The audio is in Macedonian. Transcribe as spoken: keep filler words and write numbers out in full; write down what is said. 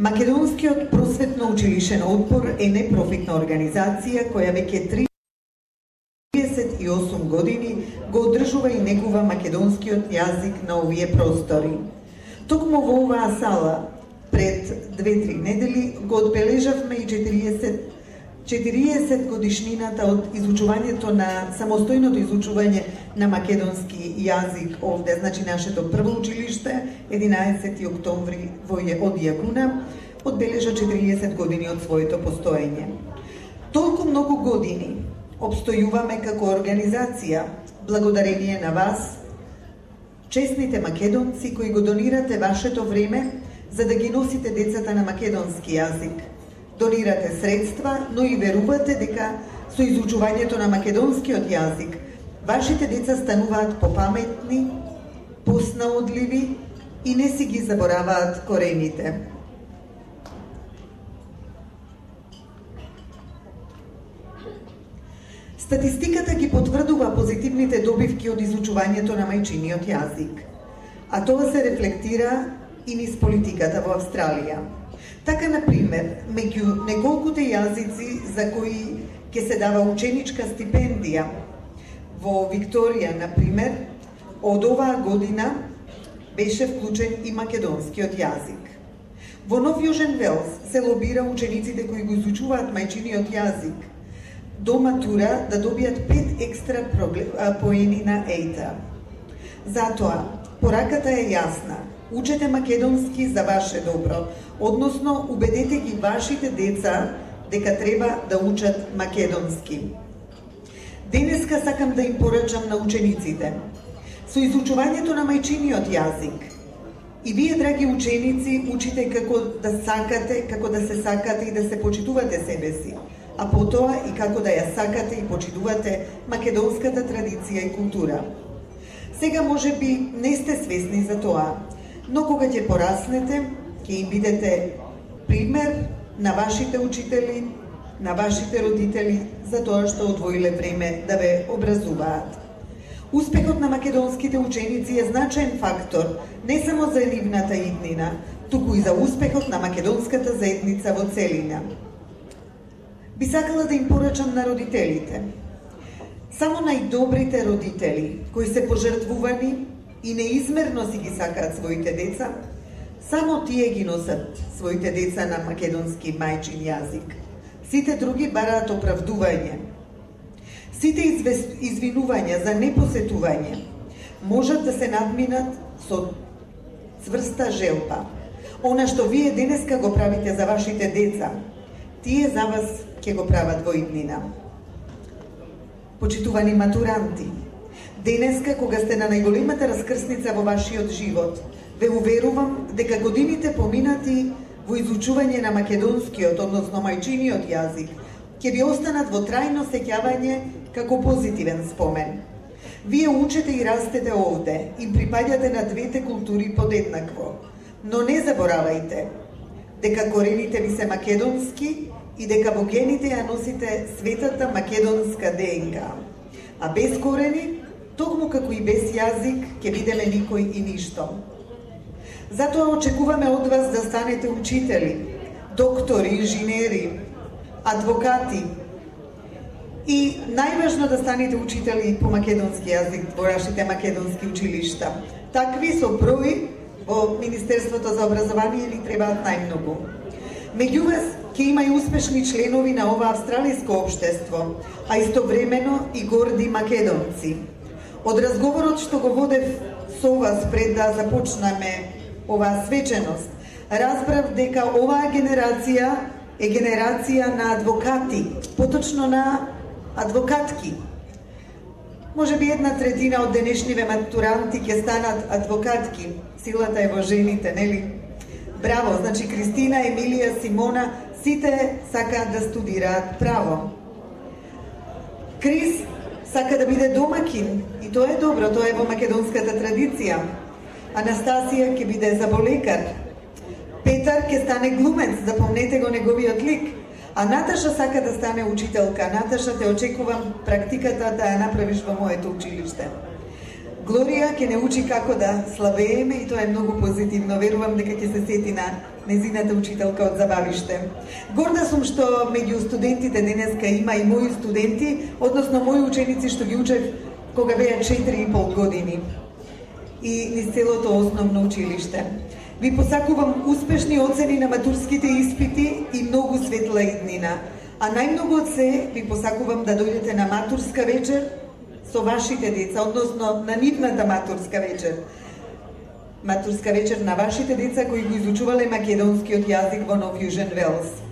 Македонскиот просветно-училишен отбор е непрофитна организација која веќе триесет и осум години го одржува и негува македонскиот јазик на овие простори. Токму во оваа сала пред две-три недели го одбележавме и четириесет годишнината од изучувањето на самостојното изучување на македонски јазик овде, значи нашето прво училиште, единаесети октомври во од Јагуна, одбележа четириесет години од своето постоење. Толку многу години обстојуваме како организација, благодарение на вас, честните македонци кои го донирате вашето време за да ги носите децата на македонски јазик. Донирате средства, но и верувате дека со изучувањето на македонскиот јазик вашите деца стануваат попаметни, поснаодливи и не си ги забораваат корените. Статистиката ги потврдува позитивните добивки од изучувањето на мајчиниот јазик, а тоа се рефлектира и низ политиката во Австралија. Така, например, меѓу неколкуте јазици за кои ќе се дава ученичка стипендија во Викторија, например, од оваа година беше вклучен и македонскиот јазик. Во Нов Јужен Велс се лобира учениците кои го изучуваат мајчиниот јазик до матура да добијат пет екстра поени на ејта. Затоа, пораката е јасна. Учете македонски за ваше добро, односно убедете ги вашите деца дека треба да учат македонски. Денеска сакам да им порачам на учениците. Со изучувањето на мајчиниот јазик, и вие, драги ученици, учите како да сакате, како да се сакате и да се почитувате себе си, а потоа и како да ја сакате и почитувате македонската традиција и култура. Сега може би не сте свесни за тоа, но кога ќе пораснете, ќе им бидете пример на вашите учители, на вашите родители за тоа што одвоиле време да ве образуваат. Успехот на македонските ученици е значаен фактор не само за нивната иднина, туку и за успехот на македонската заедница во целина. Би сакала да им порачам на родителите. Само најдобрите родители, кои се пожртвувани и неизмерно си ги сакаат своите деца, само тие ги носат своите деца на македонски мајчин јазик. Сите други бараат оправдување. Сите извинувања за непосетување можат да се надминат со цврста желба. Она што вие денеска го правите за вашите деца, тие за вас ќе го прават во иднина. Почитувани матуранти, денеска, кога сте на најголемата раскрсница во вашиот живот, ве уверувам дека годините поминати во изучување на македонскиот, односно мајчиниот јазик, ќе ви останат во трајно сеќавање како позитивен спомен. Вие учете и растете овде, им припаѓате на двете култури подеднакво, но не заборавајте дека корените ви се македонски и дека во гените ја носите светата македонска ДНК. А без корени, токму како и без јазик, ќе бидеме никој и ништо. Затоа очекуваме од вас да станете учители, доктори, инженери, адвокати и најважно да станете учители по македонски јазик во вашите македонски училишта. Такви со број во Министерството за образование ни требаат најмногу. Меѓу вас ќе има и успешни членови на ова австралиско општество, а истовремено и горди македонци. Од разговорот што го водев со вас пред да започнеме оваа свеченост, разбрав дека оваа генерација е генерација на адвокати, поточно на адвокатки. Може би една третина од денешниве матуранти ќе станат адвокатки. Силата е во жените, нели? Браво, значи Кристина, Емилија, Симона, сите сакаат да студираат право. Крис сака да биде домакин и тоа е добро, тоа е во македонската традиција. Анастасија ќе биде заболекар. Петар ќе стане глумец, запомнете го неговиот лик. А Наташа сака да стане учителка. Наташа, те очекувам практиката да ја направиш во моето училиште. Глорија ќе не учи како да слабееме и тоа е многу позитивно. Верувам дека ќе се сети на незината учителка од Забавиште. Горда сум што меѓу студентите денеска има и мои студенти, односно мои ученици што ги учев кога беа четири и пол години и низ целото основно училиште. Ви посакувам успешни оцени на матурските испити и многу светла иднина. А најмногу од се ви посакувам да дојдете на матурска вечер со вашите деца, односно на нивната матурска вечер. Матурска вечер на вашите деца кои го изучувале македонскиот јазик во No Fusion Wells.